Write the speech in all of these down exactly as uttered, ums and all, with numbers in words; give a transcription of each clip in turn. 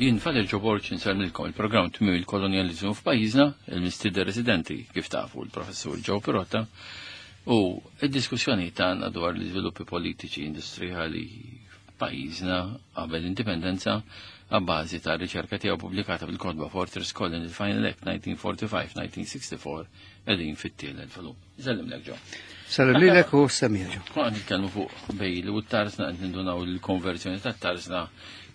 Jien Father Joe Borg insellmilkom il-programm Tmiem il-Kolonjaliżmu f'pajjiżna, il-mistieden residenti kif tafu l-professur Joe Pirotta, u id-diskussjoni tagħna dwar l-iżviluppi politiċi industrijali f'pajjiżna qabel l-indipendenza għabbażi ta' riċerka tiegħu pubblikata fil-kotba Fortress Colony Final Act nineteen forty-five nineteen sixty-four qegħdin fit-tielet volum. Sellimlek, Joe. Sallim lilek u semmiegħa, Joe. Konna nitkellmu fuq Bailey u t-tarzna, qed nindunaw il-konverżjoni tat-tarzna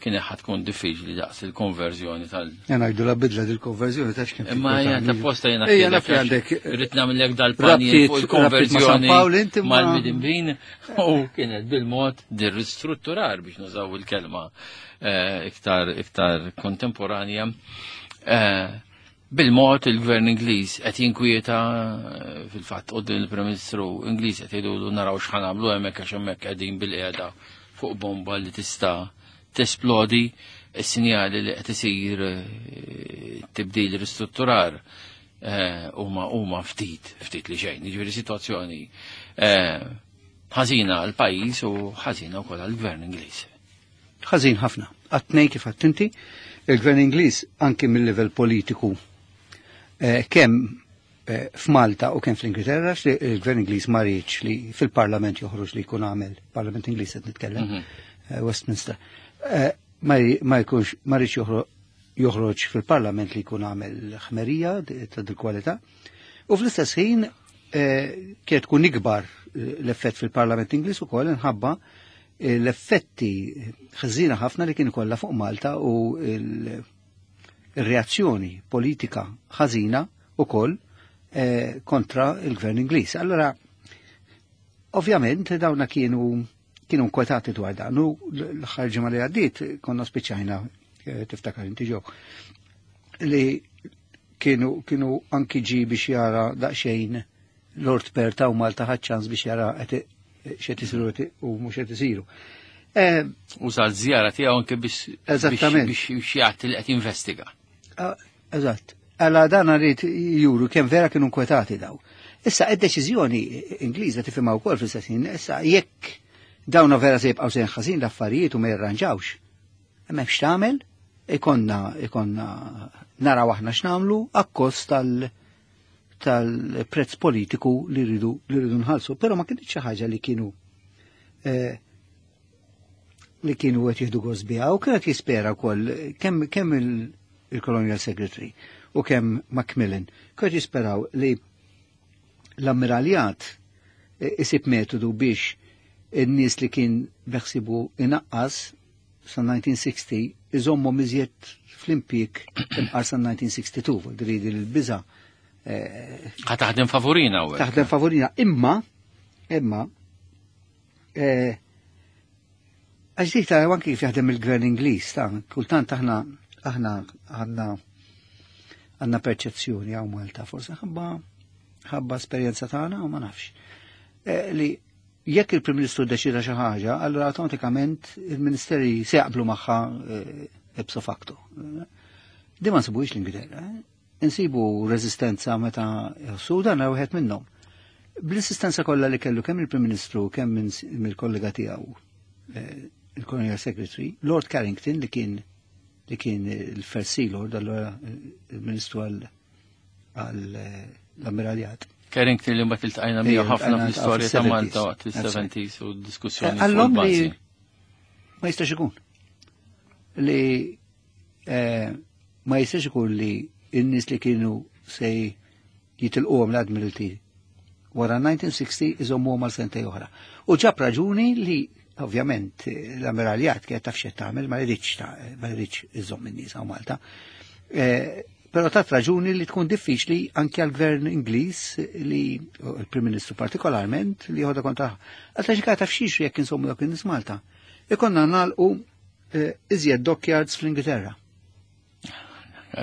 kien ħa tkun diffiċli daqs il-konverżjoni tal- Jena għajdu la bidla dil-konverżjoni ta' x'kien. Imma jena ta' posta jena Ejja, naf li għandek Rrid nagħmellek dal-panji rabtiet- fuq rabtiet ma' San il-konverżjoni Pawl, inti ma- mal-midinbin u kienet bil-mod dir-ristrutturar biex nużaw il-kelma eh, iktar iktar kontemporanja. Eh, Bil-mod il-gvern Ingliż qed jinkwieta eh, fil-fatt quddiem il-Prim Ministru Ingliż qed jgħidu naraw x'ħa nagħmlu hemmhekk għax hemmhekk qegħdin bil-qiegħda fuq bomba li tista' tesplodi. Is-sinjali li qed isir eh, tibdil ristrutturar eh, huma huma ftit ftit li xejn. Jiġifieri sitwazzjoni eh, ħażina għal pajjiż u ħażina wkoll għall-gvern Ingliż. Ħażin ħafna. Għat-tnejn kif għedt inti, il-gvern Ingliż anki mill-livell politiku eh, kemm eh, f'Malta u kemm fl-Ingilterra, li il-gvern Ingliż ma riedx li fil-Parlament joħroġ li jkun għamel, Parlament Ingliż qed nitkellem, Mhm. eh, Westminster, eh, ma ri- ma jkunx ma riedx joħro- joħroġ fil-Parlament li jkun għamel ħmerija ta' dil kwalità. U fl-istess ħin eh, kienet tkun ikbar eh, l-effett fil-Parlament Ingliż ukoll inħabba eh, l-effetti ħżina ħafna li kien kollha fuq Malta u il- il-reazzjoni politika ħażina ukoll eh, kontra il-gvern Ingliż. Allora, ovvjament dawna kienu kienu nkwetati dwar dan. U l-aħħar ġimgħa li għaddiet konna spiċċajna, eh, tiftakar inti, Joe, li kienu kienu anki ġi biex jara daqsxejn Lord Perth u Malta, ħadd ċans biex jara qed x'qed isiru u mhux qed isiru. Eh, Uża l-żjara tiegħu anke biex Eżattament. biex biex jagħti li qed jinvestiga. Ah, Eżatt. Alla dan rrid juru kemm vera kienu nkwetati daw. Issa id-deċiżjoni Ingliża tifhimha wkoll fl-istess ħin, issa jekk dawna vera se jibqgħu sejrin ħażin l-affarijiet u ma jirranġawx. Hemm x'tagħmel, ikonna ikonna naraw aħna x'nagħmlu akkost tal tal-prezz politiku li rridu li rridu nħallsu, però ma kienx xi ħaġa li kienu eh, li kienu qed jieħdu gost biha u kienet jispera wkoll kemm kemm il- il-Colonial Secretary u kemm Macmillan kienet jisperaw li l-ammiraljat eh, isib metodu biex in-nies li kien beħsibu inaqqas sa elf disa' mija u sittaw iżommu iżjed fl-impjieg imqar sa elf disa' mija u sittaw dwar il-biża eh, Ħa taħdem favorina u taħdem favorina. Imma, imma, eh, għax dik ta' anki kif jaħdem il-gvern Ingliż, ta' kultant aħna aħna għandna għandna perċezzjoni hawn Malta, forse ħabba ħabba esperjenza tagħna u ma nafx. Eh, li jekk il-Prim Ministru deċida xi ħaġa, allura awtomatikament il-Ministeri se jaqblu magħha eh, ipso facto. Di ma nsibux l-Ingilterra. eh. Insibu reżistenza meta jħossu dan wieħed minnhom. Bl-insistenza kollha li kellu kemm il-Prim Ministru kemm minn mill-kollega tiegħu, eh, il-Colonial Secretary, Lord Carrington, li kien li kien il-First Sea Lord, allora il-Ministru għal għal eh, l-Ammiraljat. Carrington li mbagħad iltqajna miegħu Ejja, ħafna iltqajna fl-istorja ta' fis-seventies. Malta waqt is-seventies u d-diskussjoni fuq Għallhom li il-bażi. ma jistax ikun. Li eh, ma jistax ikun li n-nies li kienu se jitilquhom l-Admiralty wara elf disa' mija u sittaw iżommuhom għal sentejn oħra. U ġab raġuni li ovvjament l-ammiraljat kienet taf x'qed tagħmel, ma jridx ta' ma jridx iżomm in-nies hawn Malta. Eh, Però tat raġuni li tkun diffiċli anke għal-gvern Ingliż li il-Prim Ministru partikolarment li jħodha kontra. Għalta xi taf xiex jekk insommu dak in-nies Malta. Ikonna nagħlqu eh, iżjed dockyards fl-Ingilterra.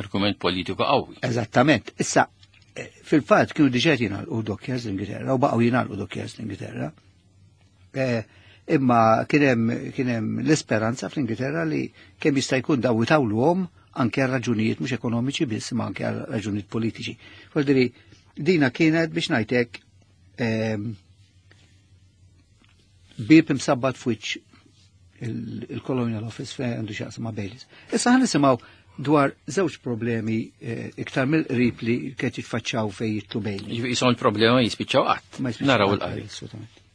Argument politiku qawwi. Eżattament. Issa, eh, fil-fatt kienu diġà jingħalqu dockyards l-Ingilterra u baqgħu jingħalqu dockyards l-Ingilterra. Eh, Imma kien hemm kien hemm l-isperanza fl-Ingilterra li kemm jista' jkun daw itawluhom anke għal raġunijiet mhux ekonomiċi biss, ma anke għal raġunijiet politiċi. Voldiri, dina kienet biex ngħidlek ehm, bib imsabbat f'wiċċ il-Colonial Office fejn għandu x'jaqsam ma' Baileys. Issa ħa nisimgħu dwar żewġ problemi eh, iktar mill-qrib li kienet jitfaċċaw fejn jidħlu Bailey. Jisom il-problema jispiċċaw qatt. Ma jispiċċaw Naraw qatt, il-qari. Assolutament.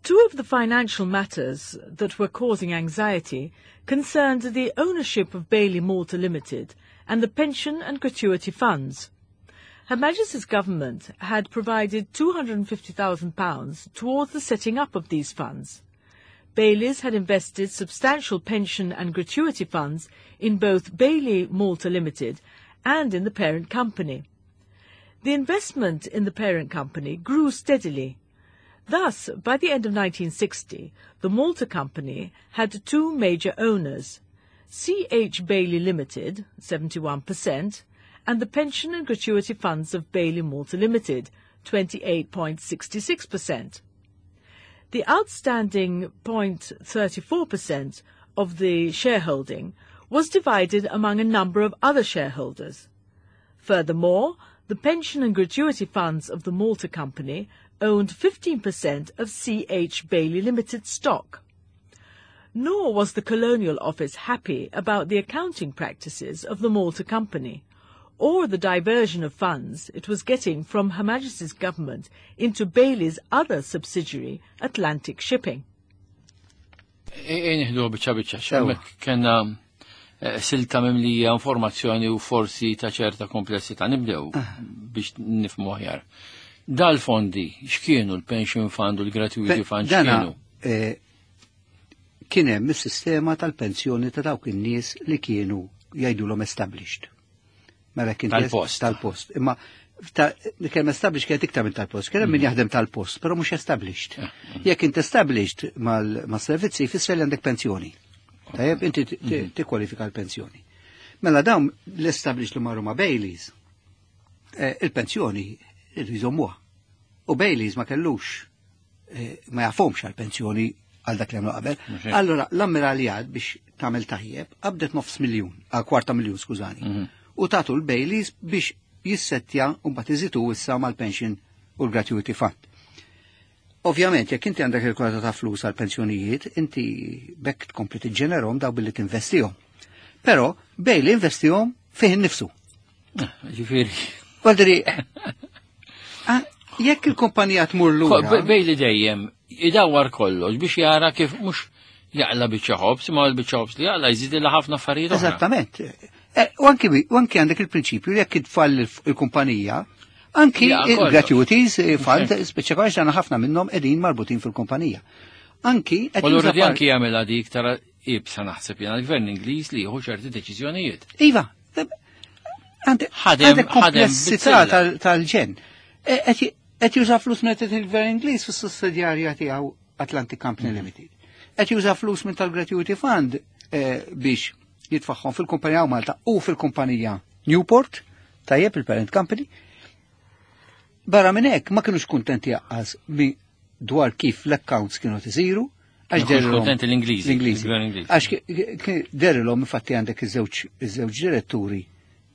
Two of the financial matters that were causing anxiety concerned the ownership of Bailey Malta Limited and the pension and gratuity funds. Her Majesty's government had provided two hundred fifty thousand pounds towards the setting up of these funds. Baileys had invested substantial pension and gratuity funds in both Bailey Malta Limited and in the parent company. The investment in the parent company grew steadily. Thus, by the end of nineteen sixty, the Malta Company had two major owners, C H. Bailey Limited, seventy-one percent, and the pension and gratuity funds of Bailey Malta Limited, twenty-eight point six six percent. The outstanding zero point three four percent of the shareholding was divided among a number of other shareholders. Furthermore, the pension and gratuity funds of the Malta Company owned fifteen percent of C H. Bailey Limited stock. Nor was the Colonial Office happy about the accounting practices of the Malta Company, or the diversion of funds it was getting from Her Majesty's government into Bailey's other subsidiary, Atlantic Shipping. Ejja nieħdu biċċa biċċa, Sewa. Hemmhekk kellna eh, silta mimlija informazzjoni u forsi ta' ċerta komplessità. Nibdew biex nifhmu aħjar. Dal-fondi, x'kienu l-pension fund u l-gratuity fund, Dana x'kienu? eh, kien hemm is-sistema tal-pensjoni ta' dawk in-nies li kienu jgħidulhom established. Mela kien Tal-post. Tal-post. Imma ta' kemm established kienet iktar minn tal-post. Kien hemm min jaħdem tal-post, però mhux established. Jekk int established mal-servizzi jfisser li għandek pensjoni. Tajjeb, inti ti- ti- tikkwalifika l-pensjoni. Mela dawn l-established li marru ma' Baileys, eh, il-pensjoni irridu jżommuha. U Baileys ma kellux eh, ma jafhomx għal-pensjoni għal dak li għamlu qabel. Mhux hekk. Allora, l-ammiraljat biex tagħmel tajjeb, qabdet nofs miljun, għal kwarta miljun, skużani. U tatu l-Baileys biex jissettja u mbagħad iżitu issa mal-pension u l-gratuity fund. Ovvjament, jekk inti għandek il-kwota ta' flus għal pensjonijiet, inti bekk tkompli tiġġenerhom daw billi tinvestihom. Però Bailey investihom fih innifsu. Ġifieri. Valdiri, ah, jekk il-kumpanija tmur lura. Bailey dejjem idawwar kollox biex jara kif mhux jaqla biċċa ħobż, ma l-biċċa ħobż li jaqla jżid ħafna affarijiet oħra. Eżattament. Eh, U anki u anki għandek il-prinċipju li jekk itfall il-kumpanija, anki Ja, kollox. il-gratuities eh, fund, Hekk. speċjalment għandna ħafna minnhom qegħdin marbutin fil-kumpanija. Anki qed U allura juża di par- anki jagħmilha di iktar ibsa naħseb jena l-gvern Ingliż li jieħu ċerti deċiżjonijiet. Iva, għandek Ħadem- għandek ħadem komplessità bizzilla. tal- tal-ġen. E, Qed qed juża flus minn il-gvern Ingliż fis-sussidjarja tiegħu Atlantic Company Limited. Qed juża flus minn tal-Gratuity Fund eh, biex jitfaħħom fil-kumpanija Malta u fil-kumpanija Newport, tajjeb, il-parent company. Barra minn hekk ma kienux kuntenti jaqqas mi dwar kif l-accounts kienu tisiru. Ma Għax kienux derilhom- kuntenti l-Ingliżi, L-Ingliżi. il-gvern Ingliż. Għax ki- ki- derilhom infatti għandek iż-żewġ iż-żewġ diretturi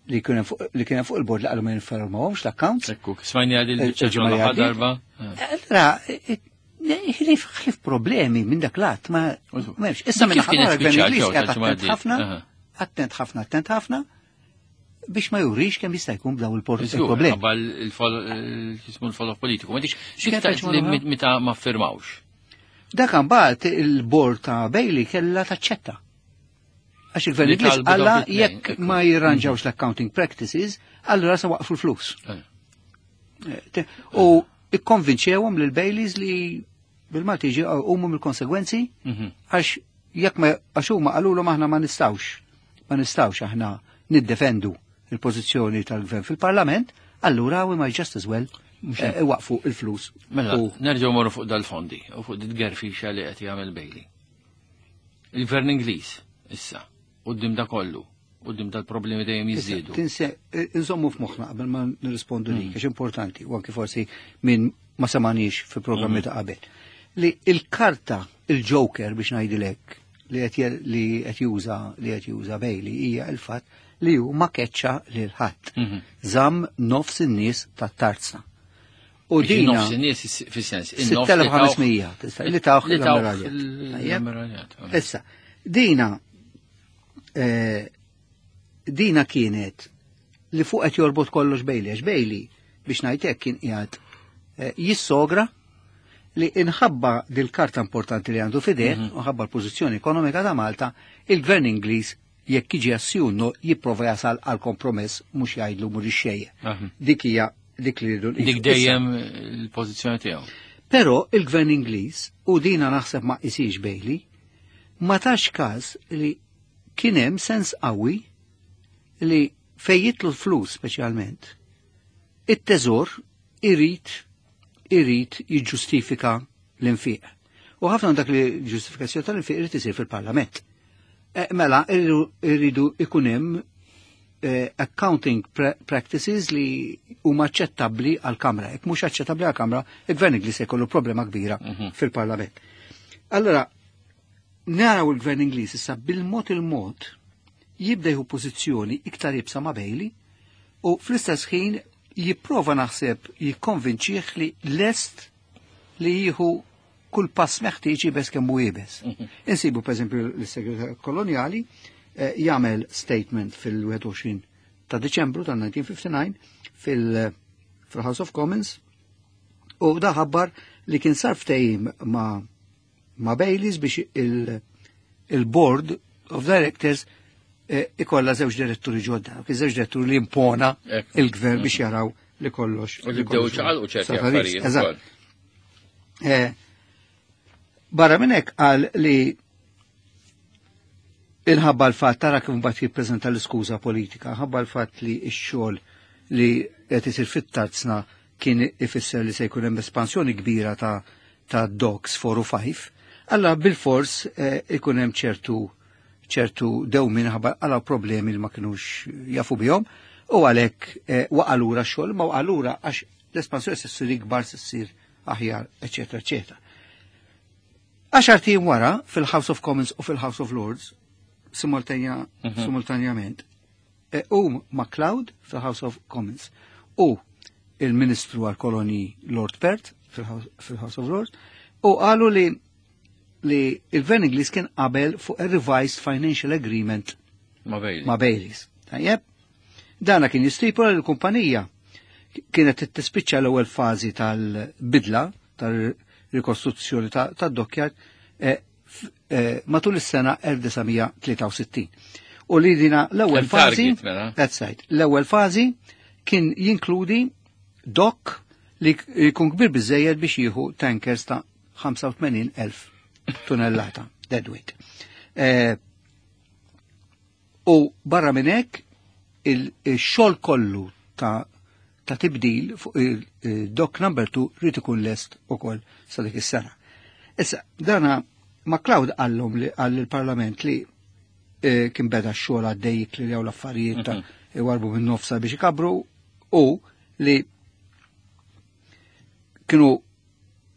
li kienu fuq li kienu fuq il-bord li qalu ma jinformawhomx l-accounts. Ekku, smajni għad il-biċċa Il-ġimgħa li l-aħħar għaddiet. darba. Allora, ħlief ħlief problemi minn dak lat ma m'hemmx. Issa minn Kif kienet ħadd il-gvern spiċċat Ingliż ġew qiegħed tal-ġimgħa attent għaddiet? ħafna, Aha. attent ħafna, attent ħafna biex ma jurix kemm jista' jkun b'daw Żgur, il-problemi. Qabel il-jismu l-follow politiku. Ma dik X'kienet xiktar il-ġimgħa li l-oħra? meta ma firmawx. Dak mbagħad il-bord ta' Bailey kellha taċċetta. Għax il-gvern Li Ingliż talbu alla dawk it-tnejn, jekk ekku. ma jirranġawx l-accounting practices, allura se waqfu l-flus. Eh. Eh, U ikkonvinċewhom lil Baileys li bil-Malti ġi huma mill-konsegwenzi Mhm. għax jekk ma għax huma qalulhom aħna ma nistgħux ma nistgħux aħna niddefendu il-pożizzjoni tal-gvern fil-Parlament, allura we might just as well eh, waqfu il-flus. Mela, U nerġgħu morru fuq dal-fondi u fuq dit gerfixa li qed jagħmel Bailey. Il-gvern Ingliż issa, quddiem da kollu, quddiem dal-problemi dejjem jiżdiedu. Tinse, eh, nżommu f'moħħna qabel ma nirrispondu lik, għax importanti, u anki forsi min ma samanix fi programmi ta' qabel. Li il-karta, il-Joker biex ngħidilek li qed je- li qed juża li qed juża Bailey hija il-fatt li hu ma keċċa lil ħadd. Mhm. Żamm nofs in-nies tat-tarzna. U dina Nofs in-nies fis-sens. sitt elef u ħames mija tista' li tawh l-ammiraljat. Issa, dina eh, dina kienet li fuq qed jorbot kollox Bailey, għax Bailey biex ngħid hekk kien qiegħed eh, jissogra li inħabba dil-karta importanti li għandu fideh, mm -hmm. unħabba l-pożizzjoni ekonomika ta' Malta, il-gvern Ingliż jekk jiġi assjunno jipprova jasal għal kompromess mhux jgħidlu mhux ixxejje. Dik hija dik li rridu. Dik dejjem il-pożizzjoni tiegħu. Però il-gvern Ingliż, u dina naħseb ma qisix Bailey, ma tax każ li kien hemm sens qawwi li fejn jitlu l-flus speċjalment, it-teżor irid irid jiġġustifika l-infiq. U ħafna dak li ġustifikazzjoni tal-infiq irid isir fil-Parlament. E, mela, irridu ikun hemm eh, accounting practices li huma aċċettabbli għall-Kamra. Jekk mhux aċċettabbli għall-Kamra, il-Gvern Ingliż se jkollu problema kbira mm -hmm. fil-Parlament. Allora, naraw il-Gvern Ingliż issa bil-mod il-mod jibda jieħu pożizzjoni iktar iebsa ma' Bailey u fl-istess ħin jipprova naħseb jikkonvinċih li lest li jieħu kull pass meħtieġ iebes kemm hu iebes. Insibu pereżempju l-Segretarju Kolonjali eh, jagħmel statement fil-wieħed u għoxrin ta' Diċembru tal-elf disa' mija u ħamsa u disgħin fil-House of Commons u da ħabbar li kien sar ftehim ma' ma' Baileys biex il-Board of Directors eh, ikolla żewġ diretturi ġodda, kien żewġ diretturi li impona il-gvern biex jaraw li kollox. U li bdew ċaqalqu ċerti affarijiet. Eżatt. Eh, barra minn hekk qal li inħabba l-fatt, tara kif mbagħad jippreżenta l-iskuża politika, ħabba l-fatt li x-xogħol li qed isir fit-tarzna kien ifisser li se jkun hemm espansjoni kbira ta' ta' docks four u five, alla bil-fors eh, ikun hemm ċertu ċertu dewmien ħabba għala problemi li ma kinux jafu bihom, u għalhekk eh, waqa' lura x-xogħol, ma waqa' lura għax l-espansjoni se ssir ikbar, se ssir aħjar, eċetera, eċetera. Għaxar ijiem wara fil-House of Commons u fil-House of Lords simultanja, Mhm. simultanjament, e, u MacLeod fil-House of Commons u il-Ministru għal-Koloni Lord Perth fil-House fil-House of Lords u qalu li li il-Gvern Ingliż kien qabel fuq a revised financial agreement Ma' Bailey. ma' Baileys. Tajjeb? Dana kien jistipula li l-kumpanija kienet tispiċċa l-ewwel fażi tal-bidla tal-rikostruzzjoni tad-dockyard eh, f- eh, matul is-sena elf disa' mija tlieta u sittin. U li dina l-ewwel Hemm fażi, target, mela. that's right, l-ewwel fażi kien jinkludi dock li jkun kbir biżejjed biex jieħu tankers ta' ħamsa u tmenin elf tunnellata deadweight. Eh, u barra minn hekk il-xogħol kollu ta' ta' tibdil fuq il-dock number two rrid ikun lest ukoll sa dik is-sena. Issa, dana MacLeod qallhom li qal il-Parlament li eh, kien beda x-xogħol għaddej li l-affarijiet ta' iwarbu minn nofsa biex ikabru u li kienu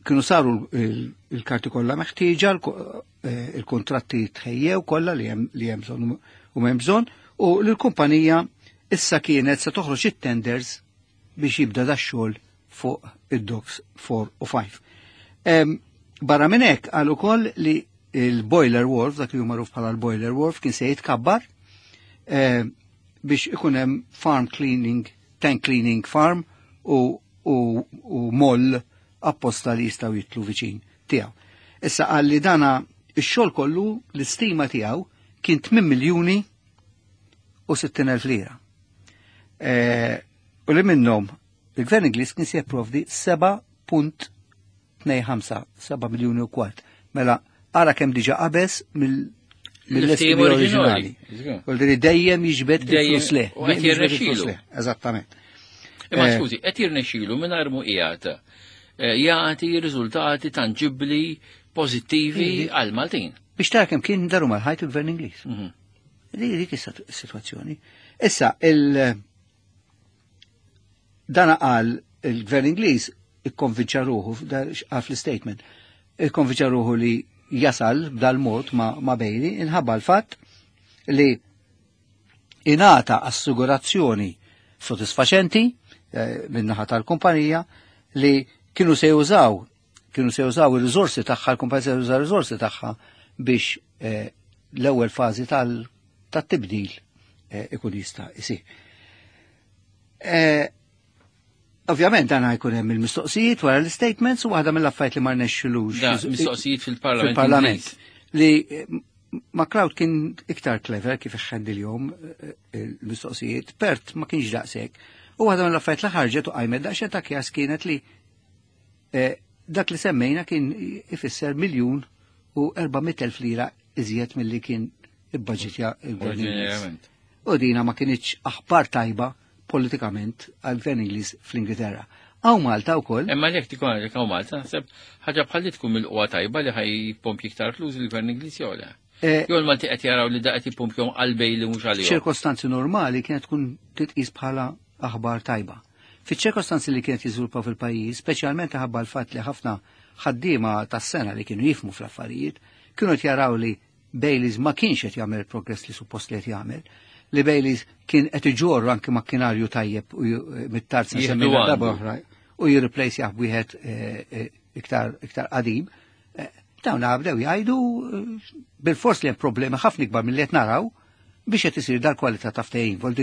kienu saru il-karti kollha meħtieġa, eh, il-kontratti tħejjew kollha li hemm li hemm bżonn u m'hemm bżonn, u l-kumpanija issa kienet se toħroġ it-tenders biex jibda da xogħol fuq id-docks four u five. Em, Barra minn hekk qal ukoll li il-boiler wharf, dak li hu magħruf bħala l-boiler wharf, kien se jitkabbar eh, biex ikun hemm farm cleaning, tank cleaning farm u, u, u moll apposta li jistgħu jitlu viċin tiegħu. Issa qal li dana ix-xogħol kollu l-istima tiegħu kien tmien miljuni u sittin elf lira. Eh, u li minnhom il-Gvern Ingliż kien se jipprovdi seba' punt tnejn ħamsa, seba' miljuni u kwart. Mela, ara kemm diġà qabeż mill- mill-estimi L-estimi oriġinali. oriġinali. U li dejjem jiġbed Dejjem- il-flus le. u qed Dejjem jiġbed il-flus jirnexxilu. le. Eżattament. Imma Eh, skużi, qed jirnexxilu mingħajr mu qiegħed eh, jagħti riżultati tanġibbli pożittivi għal Maltin. Biex tara kemm kien daru mal-ħajt il-Gvern Ingliż. Mhm. Dik dik is-sitwazzjoni. Issa il dana qal il-Gvern Ingliż ikkonvinċa ruħu għal fl-statement, ikkonvinċa ruħu li jasal b'dal-mod ma, ma Bailey inħabba l-fatt li ingħata assigurazzjoni sodisfaċenti eh, min-naħa tal-kumpanija li kienu se jużaw kienu se jużaw il-riżorsi tagħha, l-kumpanija se jużaw il-riżorsi tagħha biex eh, l-ewwel fażi tal-tibdil eh, ikun jista' isir. Eh, Ovvjament dan jkun hemm il-mistoqsijiet wara l-statements u waħda mill-affarijiet li ma rnexxilux. Mistoqsijiet fil-Parlament. Fil-Parlament. Li McLeod kien iktar clever kif iħendilhom il-mistoqsijiet, Pert ma kienx daqshekk. U waħda mill-affarijiet li ħarġet u qajmet daqsxejn ta' kjas kienet li dak li semmejna kien ifisser miljun u erba' mitt elf lira iżjed milli kien ibbaġitja il-gvern. U dina ma kienx aħbar tajba politikament għal-gvern Ingliż fl-Ingilterra. Hawn Malta wkoll. Imma jekk tikun għalek hawn Malta, naħseb ħaġa bħal li tkun mill-qwa tajba li ħaj jippompji iktar flus il-gvern Ingliż jew le. Jew il-Malti qed jaraw li da qed jippompjhom għal li mhux għalihom. Ċirkostanzi normali kienet tkun titqis bħala aħbar tajba. Fiċ-ċirkostanzi li kienet jiżviluppaw fil-pajjiż, speċjalment ħabba l-fatt li ħafna ħaddiema tas-sena li kienu jifmu fl-affarijiet, kienu qed jaraw li Baileys ma kienx qed jagħmel progress li suppost li qed jagħmel, li Baileys kien qed iġorru anke makkinarju tajjeb u mit-tarz semmejna darba oħra u jirreplace jaħ wieħed iktar iktar qadim. Dawn bdew jgħidu bil-fors li hemm problemi ħafna ikbar milli qed naraw biex qed isir dal-kwalità ta' ftehim. Vuol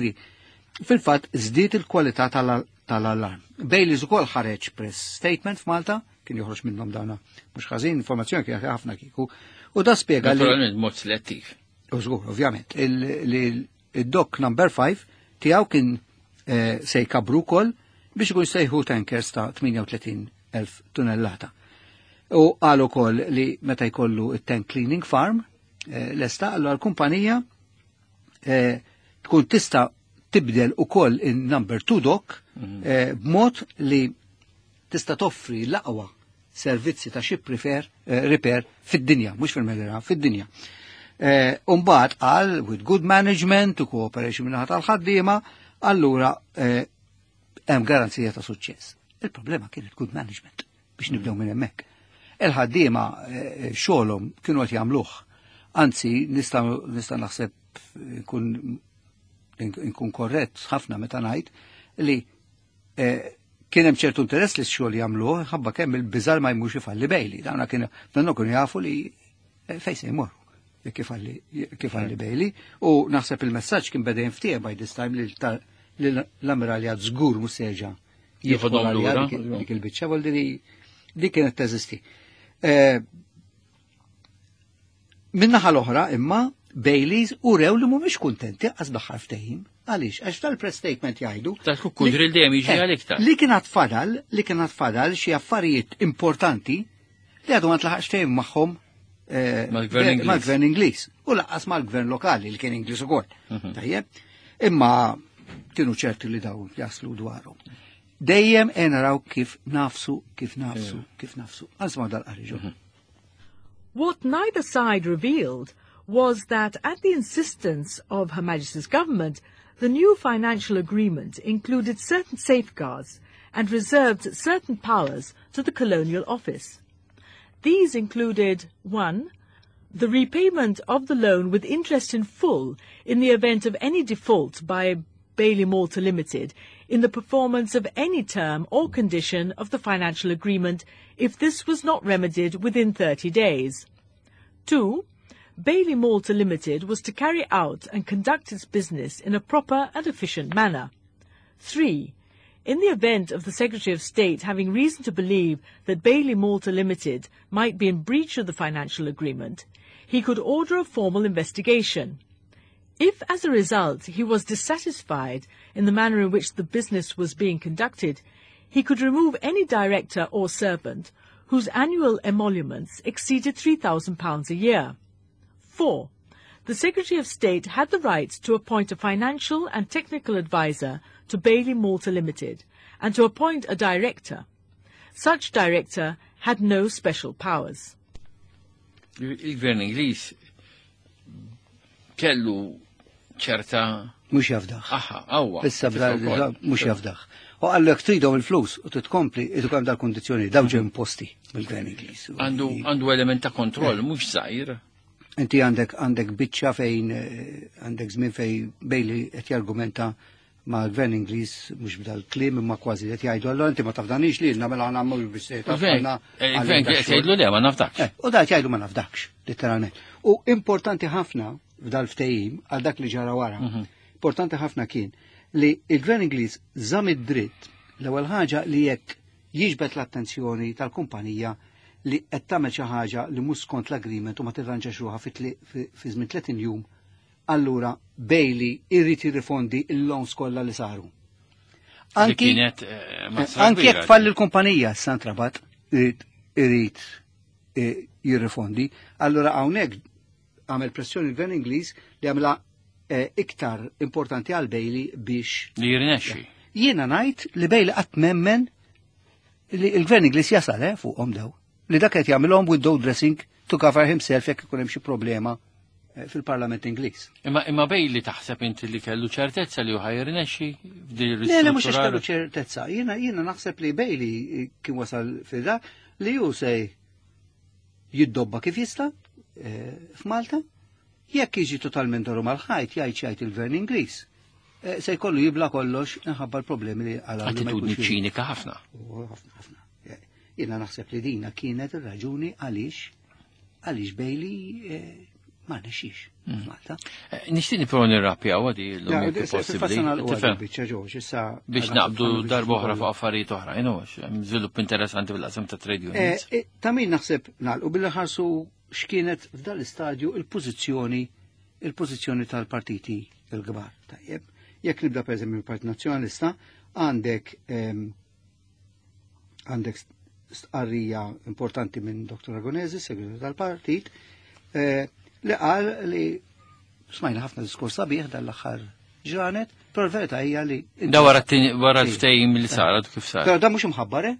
fil-fatt żdied il-kwalità tal-allarm. Baileys ukoll ħareġ press statement f'Malta, kien joħroġ minnhom dawna mhux ħażin, informazzjoni kien ħafna kieku. U da spjega li naturalment mod selettiv. U żgur, ovvjament, il-dock number five tiegħu kien se jkabru wkoll biex ikun sejħu tankers ta' tmienja u tletin elf tunnellata. U qal ukoll li meta jkollu it-tank cleaning farm lesta, allura l-kumpanija tkun tista' tibdel ukoll in-number two dock b'mod li tista' toffri l-aqwa servizzi ta' ship repair, repair fid-dinja, mhux fil-Mediterran, fid-dinja. Umbagħad qal with good management u cooperation minnaħa tal-ħaddiema, allura hemm garanzija ta' suċċess. Il-problema kienet good management biex nibdew minn hemmhekk. Il-ħaddiema xogħolhom kienu qed jagħmluh. Anzi, nista' nista' naħseb nkun nkun korrett ħafna meta ngħid li kien hemm ċertu interess li x-xogħol jagħmluh ħabba kemm il-biżar ma jmux ifalli Bailey. Dawna kienu dawna kienu jafu li fejn se jmorru kif għalli Bailey. U naħseb il-messaġġ kien beda jinftieħ by this time li l-ammiralja żgur mhux se jerġa' jieħodhom lura dik il-biċċa, vuol dire dik kienet teżisti. Min-naħa l-oħra imma Baileys urew li mhumiex kuntenti qas bl-aħħar ftehim. Għaliex? Għax tal-press statement jgħidu tal-kukkudril dejjem jiġi għal iktar. Li kien fadal, li kien fadal xi affarijiet importanti li għadu ma tlaħaqx ftehim magħhom mal-gvern Ingliż u lanqas mal-gvern lokali li kien Ingliż ukoll. Tajjeb, imma kienu ċerti li dawn jaslu dwarhom. Dejjem naraw kif nafsu, kif nafsu, kif nafsu. Għażma dal-qariġu. What neither side revealed was that at the insistence of Her Majesty's government, the new financial agreement included certain safeguards and reserved certain powers to the Colonial Office. These included, one, the repayment of the loan with interest in full in the event of any default by Bailey Malta Limited in the performance of any term or condition of the financial agreement if this was not remedied within thirty days. Two, Bailey Malta Limited was to carry out and conduct its business in a proper and efficient manner. Three, in the event of the Secretary of State having reason to believe that Bailey Malta Limited might be in breach of the financial agreement, he could order a formal investigation. If, as a result, he was dissatisfied in the manner in which the business was being conducted, he could remove any director or servant whose annual emoluments exceeded three thousand pounds a year. Four, the Secretary of State had the right to appoint a financial and technical advisor to Bailey Malta Limited and to appoint a director. Such director had no special powers. Il-Gvern Ingliż kellu ċerta mhux jafdaħ. Aha, awwa. Issa mhux jafdaħ. U għallek tridhom il-flus u titkompli idu kemm dal-kondizzjoni dawn ġew imposti mill-Gvern Ingliż. Għandu element ta' kontroll mhux żgħir. Inti għandek għandek biċċa fejn għandek żmien fejn Bailey qed jargumenta ma' gvern Ingliż mhux b'dal-kliem imma kważi qed jgħidu allura inti ma tafdanix lilna mela aħna mhux biex se tafdana. Il-gvern qed jgħidlu le ma nafdakx. Eh, u dak jgħidu ma nafdakx, letteralment. U importanti ħafna f'dal ftehim għal dak li ġara wara. Mhm. Importanti ħafna kien li il-gvern Ingliż żamm id-dritt l-ewwel ħaġa li jekk jiġbed l-attenzjoni tal-kumpanija li qed tagħmel xi ħaġa li mhux skont l-agreement u ma tirranġax ruħha fi żmien tletin jum, allura Bailey irrid jirrifondi il-loans kollha li saru. Anki kienet eh, anki jekk falli l-kumpanija Santrabat irid irid eh, jirrifondi, allura hawnhekk għamel pressjoni l-Gvern Ingliż li għamla eh, iktar importanti għal Bailey biex li jirnexxi. Jiena ngħid li Bailey qatt memmen li l-Gvern Ingliż jasal eh, fuqhom daw. Li dak qed jagħmilhom window dressing to cover himself jekk ikun hemm xi problema eh, fil-Parlament Ingliż. Imma imma Bailey taħseb inti li kellu ċertezza li hu ħajrnexxi f'din Le, le mhux kellu ċertezza. Jiena jiena naħseb li Bailey kien wasal fil li hu se jiddobba kif jista' eh, f'Malta. Jekk jiġi totalment doru mal-ħajt jgħid jgħid il-Gvern Ingliż. Eh, se jkollu jibla kollox minħabba l-problemi li għal Attitudni ċinika ħafna. Ħafna ħafna. Jiena naħseb li dina kienet ir-raġuni għaliex għaliex Bailey eh, ma rnexxix mm. f'Malta. Eh, nixtieq nipprova nirrappjaw għadi l-lum jekk possibbli. Biex naqbdu darba oħra fuq affarijiet oħra, hemm żvilupp interessanti fil-qasam ta' trade unions. Ta' min naħseb nagħlqu billi ħarsu x'kienet f'dan l-istadju il-pożizzjoni il-pożizzjoni tal-partiti il-kbar. Tajjeb, jekk nibda pereżempju mill-Partit Nazzjonalista, għandek għandek stqarrija importanti minn Dottor Ragonesi, segretarju tal-partit, eh, li qal li smajna ħafna diskors sabiħ dal-aħħar ġranet, però l-verità hija li Da wara wara l-ftehim li sar kif sar. Però da mhux imħabbar, eh?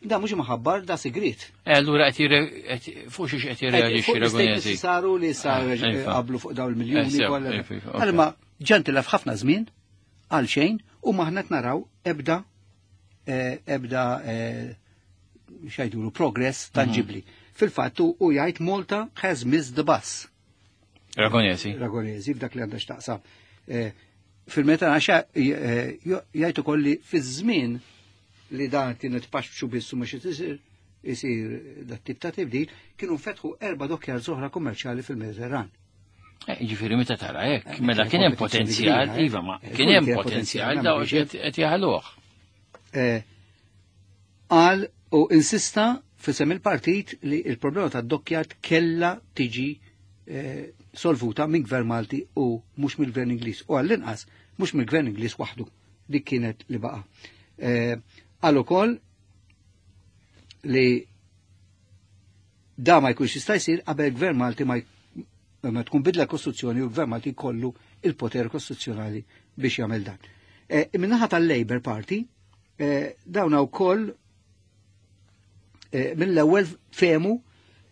Da mhux imħabbar, da sigrit. Eh, allura qed fuq xiex qed jirreaġixxi Ragonesi. Saru li sar eh, qablu fuq dawn il-miljuni eh, kollha. Għalma ġentilef ħafna żmien għal xejn u maħna naraw ebda ebda xajdulu progress tangibli. Fil-fatt u jgħid Malta has missed the bus. Ragonesi. Ragonesi, f'dak li għandha x'taqsam. Fil-meta għaxa jgħid ukoll li fiż-żmien li dan kienet paxxu biss u mhux isir isir dat tip ta' tibdil, kienu fetħu erba' dokkjar oħra kummerċjali fil-Mediterran. Ġifieri meta tara hekk, mela kien hemm potenzjal, iva ma kien hemm potenzjal daw qed jaħluh. Qal u insista fisem il-partit li il-problema ta' dokkjat kella tiġi solvuta minn Gvern Malti u mhux mill-Gvern Ingliż. U għall-inqas mhux mill-Gvern Ingliż waħdu. Dik kienet li baqa'. Qal ukoll li da ma jkunx jista' jsir qabel Gvern Malti ma ma tkun bidla kostituzzjoni u Gvern Malti jkollu il-poter kostituzzjonali biex jagħmel dan. Min-naħa tal-Labour Party dawn wkoll mill-ewwel fehmu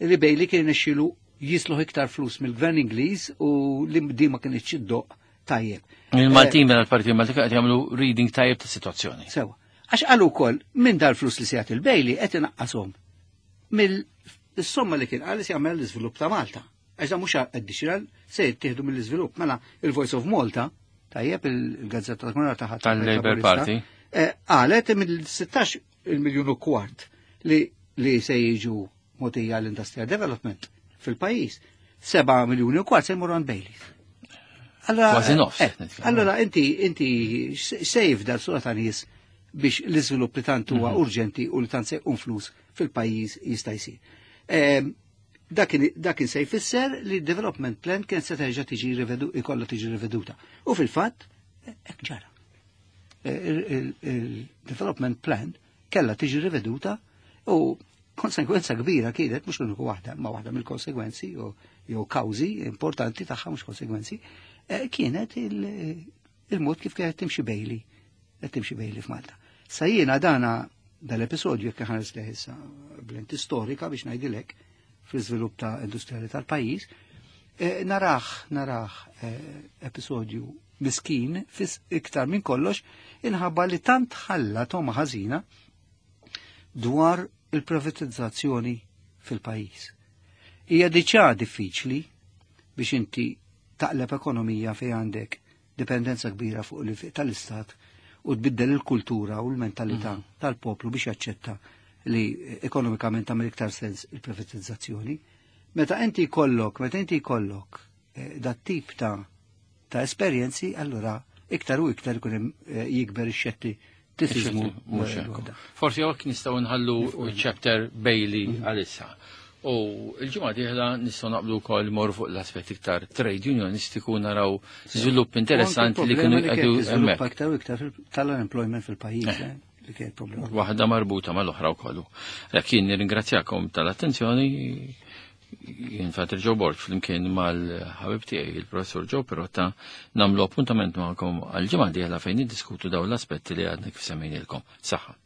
li Bailey kien irnexxielu jisluħ iktar flus mill-Gvern Ingliż u li di ma kienx iddoq tajjeb. Il-Maltin minn il-Partit Malti qed jagħmlu reading tajjeb tas-sitwazzjoni. Sewa. Għax qalu wkoll minn dal-flus li se jagħti il-Bailey qed inaqqashom mill-somma li kien qal li se jagħmel l-iżvilupp ta' Malta. Għax da mhux additional se jittieħdu mill-iżvilupp. Mela il-Voice of Malta, tajjeb il-Gazzetta tal-Komunità taħt tal-Labour Party, qalet mill-sittax il-miljun u kwart li li se jiġu mogħtija l-industrial development fil-pajjiż, seba' miljuni u kwart se jmorru għand Bailey. Kważi nofs. Allora inti inti sejf dal-sura ta' nies biex l-iżvilupp li tant huwa urġenti u li tant se jqum flus fil-pajjiż jista' jsir. Dak kien se jfisser li development plan kien se terġa' tiġi ikollha tiġi riveduta. U fil-fatt hekk ġara. Il-development plan kellha tiġi riveduta u konsekwenza kbira kienet, mhux l-uniku waħda, ma waħda mill-konsegwenzi jew kawżi importanti tagħha mhux konsegwenzi, kienet il-mod kif kienet timxi Bailey, qed timxi Bailey f'Malta. Sa jiena dana dal-episodju jekk ħares leh issa b'lenti storika biex ngħidilek fl-iżvilupp ta' industrijali tal-pajjiż, naraħ naraħ episodju miskin fis iktar minn kollox inħabba li tant ħalla toma ħażina dwar il-privatizzazzjoni fil-pajjiż. Hija diġà diffiċli biex inti taqleb ekonomija fejn għandek dipendenza kbira fuq l tal-istat u tbiddel il-kultura u l-mentalità mm. tal-poplu biex jaċċetta li ekonomikament tagħmel iktar sens il-privatizzazzjoni. Meta inti jkollok, meta inti jkollok eh, dat tip ta' ta' esperjenzi, allura iktar u iktar ikun hemm eh, jikber ix-xettiċiżmu. Forsi hawnhekk nistgħu nħallu chapter Bailey mhm. għalissa. U il-ġimgħa dieħla nistgħu naqblu wkoll mor fuq l-aspett iktar trade unionistiku, naraw żvilupp interessanti li kienu jgħidu hemmhekk. Aktar u iktar tal-unemployment fil-pajjiż. Eh. Eh, li kien problema. Waħda marbuta mal-oħra wkoll. Jekk jien nirringrazzjakom tal-attenzjoni, jien Father Joe Borg flimkien mal-ħabib tiegħi, il-Professor Joe Pirotta, nagħmlu appuntament magħkom għal-ġimgħa dieħla fejn niddiskutu dawn l-aspetti li għadna kif semmejnilkom. Saħħa.